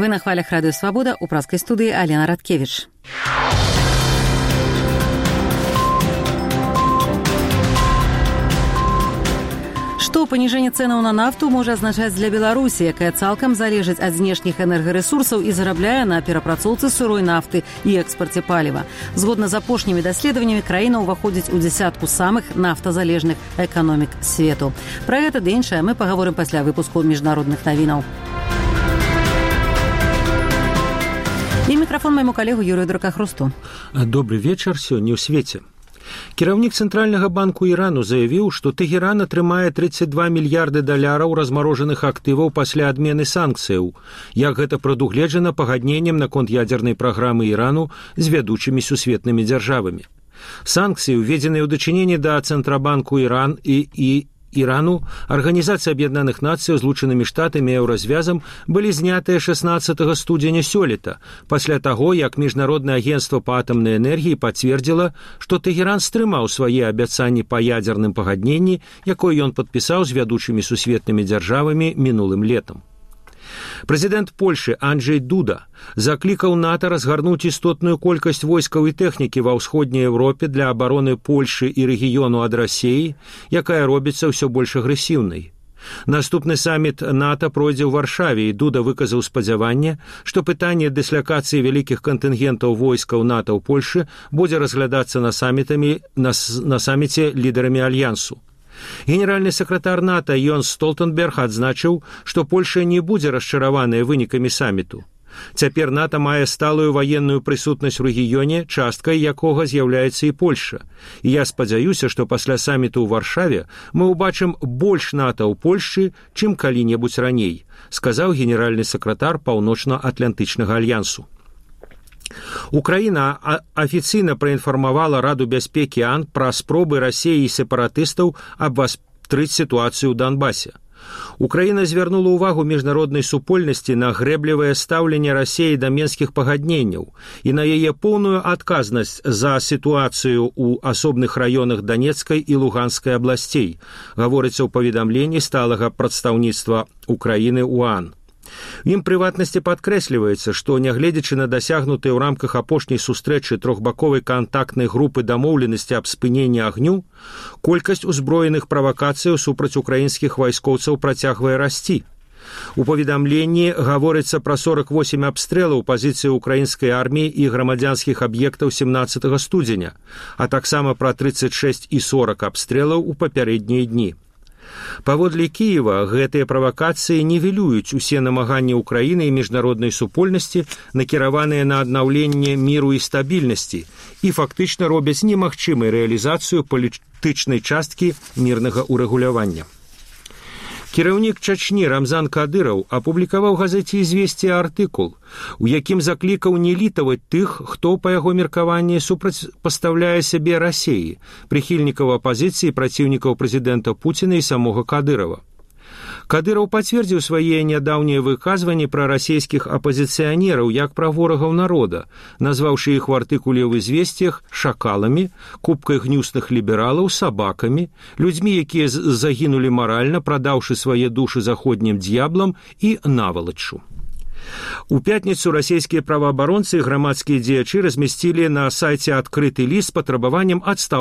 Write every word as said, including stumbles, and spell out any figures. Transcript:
Вы на хвалях Радио Свобода, у праской студии Алена Радкевич. Што паніжэнне цэнаў на нафту можа азначаць для Беларусі, якая цалкам залежыць ад знешніх энергарэсурсаў і зарабляе на перапрацоўцы сырой нафты і экспарце паліва. Згодна з апошнімі даследаваннямі, краіна ўваходзіць у дзясятку самых нафтазалежных эканомік свету. Пра гэта ды іншае мы пагаворым пасля выпуску міжнародных навінаў. І мікрафон майму калегу Юрію Дракахрусту. Добрый вечар сёння ў свеце. Кіраўнік Цэнтральнага банку Ірану заявіў, што Тэгеран атрымае тридцать два мільярды даляраў размарожаных актываў пасля адмены санкцыяў, як гэта прадугледжана пагадненнем наконт ядзернай праграмы Ірану з вядучымі сусветнымі дзяржавамі. Санкцыі, уведзеныя ў дачыненні да Цэнтрабанку Іран і, і Ірану, Арганізацыі Аб'яднаных Нацый, Злучанымі Штатамі і Еўразвязам былі знятыя шаснаццатага студзеня сёлета, пасля таго, як Міжнароднае агенцтва па атамнай энергіі пацвердзіла, што Тэгеран стрымаў свае абяцанні па ядзерным пагадненні, якое ён падпісаў з вядучымі сусветнымі дзяржавамі мінулым летам. Прэзідэнт Польшы Анджэй Дуда заклікаў НАТО разгарнуць істотную колькасць войскаў і тэхнікі ва ўсходняй Еўропе для абароны Польшы і рэгіёну ад Расіі, якая робіцца ўсё больш агрэсіўнай. Наступны саміт НАТО пройдзе ў Варшаве, і Дуда выказаў спадзяванне, што пытанне дыслакацыі вялікіх кантынгентаў войскаў НАТО ў Польшы будзе разглядацца на, самітамі, на, на саміце лідарамі Альянсу. Генеральны сакратар НАТО Йонс Столтенберг адзначыў, што Польша не будзе расчараваная вынікамі саміту. Цяпер НАТО мае сталую ваенную прысутнасць у рэгіёне, часткай якога з'яўляецца і Польша. І я спадзяюся, што пасля саміту ў Варшаве мы ўбачым больш НАТО ў Польшчы, чым калі-небудзь раней, сказаў генеральны сакратар Паўночна-Атлантычнага альянсу. Украіна афіцыйна праінфармавала Раду бяспекі АН пра спробы Расіі і сепаратыстаў абвастрыць сітуацыю ў Донбасе. Украіна звярнула ўвагу міжнароднай супольнасці на грэблівае стаўленне Расіі да менскіх пагадненняў і на яе поўную адказнасць за сітуацыю ў асобных раёнах Данецкай і Луганскай абласцей, гаворыцца ў паведамленні сталага прадстаўніцтва Украіны ў АН. У ім прыватнасці падкрэсліваецца, што, нягледзячы на дасягнутыя ў рамках апошняй сустрэчы трохбаковай кантактнай групы дамоўленасці аб спыненні агню, колькасць узброеных правакацыяў супраць украінскіх вайскоўцаў працягвае расці. У паведамленні гаворыцца пра сорок восемь абстрэлаў пазіцыі украінскай арміі і грамадзянскіх аб'ектаў семнаццатага студзеня, а таксама пра тридцать шесть і сорок абстрэлаў у папярэднія дні. Паводле Кіева, гэтыя правакацыі нівелююць усе намаганні Украіны і міжнароднай супольнасці, накіраваныя на аднаўленне міру і стабільнасці, і фактычна робяць немагчымай рэалізацыю палітычнай часткі мірнага ўрэгулявання. Кіраўнік Чачні Рамзан Кадыраў апублікаваў газеце «Ізвесце» артыкул, у якім заклікаў не літаваць тых, хто, па яго меркаванні, супрацьпастаўляе сябе Расіі, прыхільнікаў апазіцыі, праціўнікаў прэзідэнта Пуціна і самога Кадырава. Кадыраў пацвердзіў свае нядаўнія выказванні пра расійскіх апазіцыянераў як пра ворагаў народа, назваўшы іх у артыкуле ў «Ізвесцях» шакаламі, купкай гнюсных лібералаў, сабакамі, людзьмі, якія загінулі маральна, прадаўшы свае душы заходнім д'яблам і навалаччу. У пятніцу расійскія праваабаронцы і грамадскія дзеячы размясцілі на сайце адкрыты ліст з патрабаваннем адстаўкі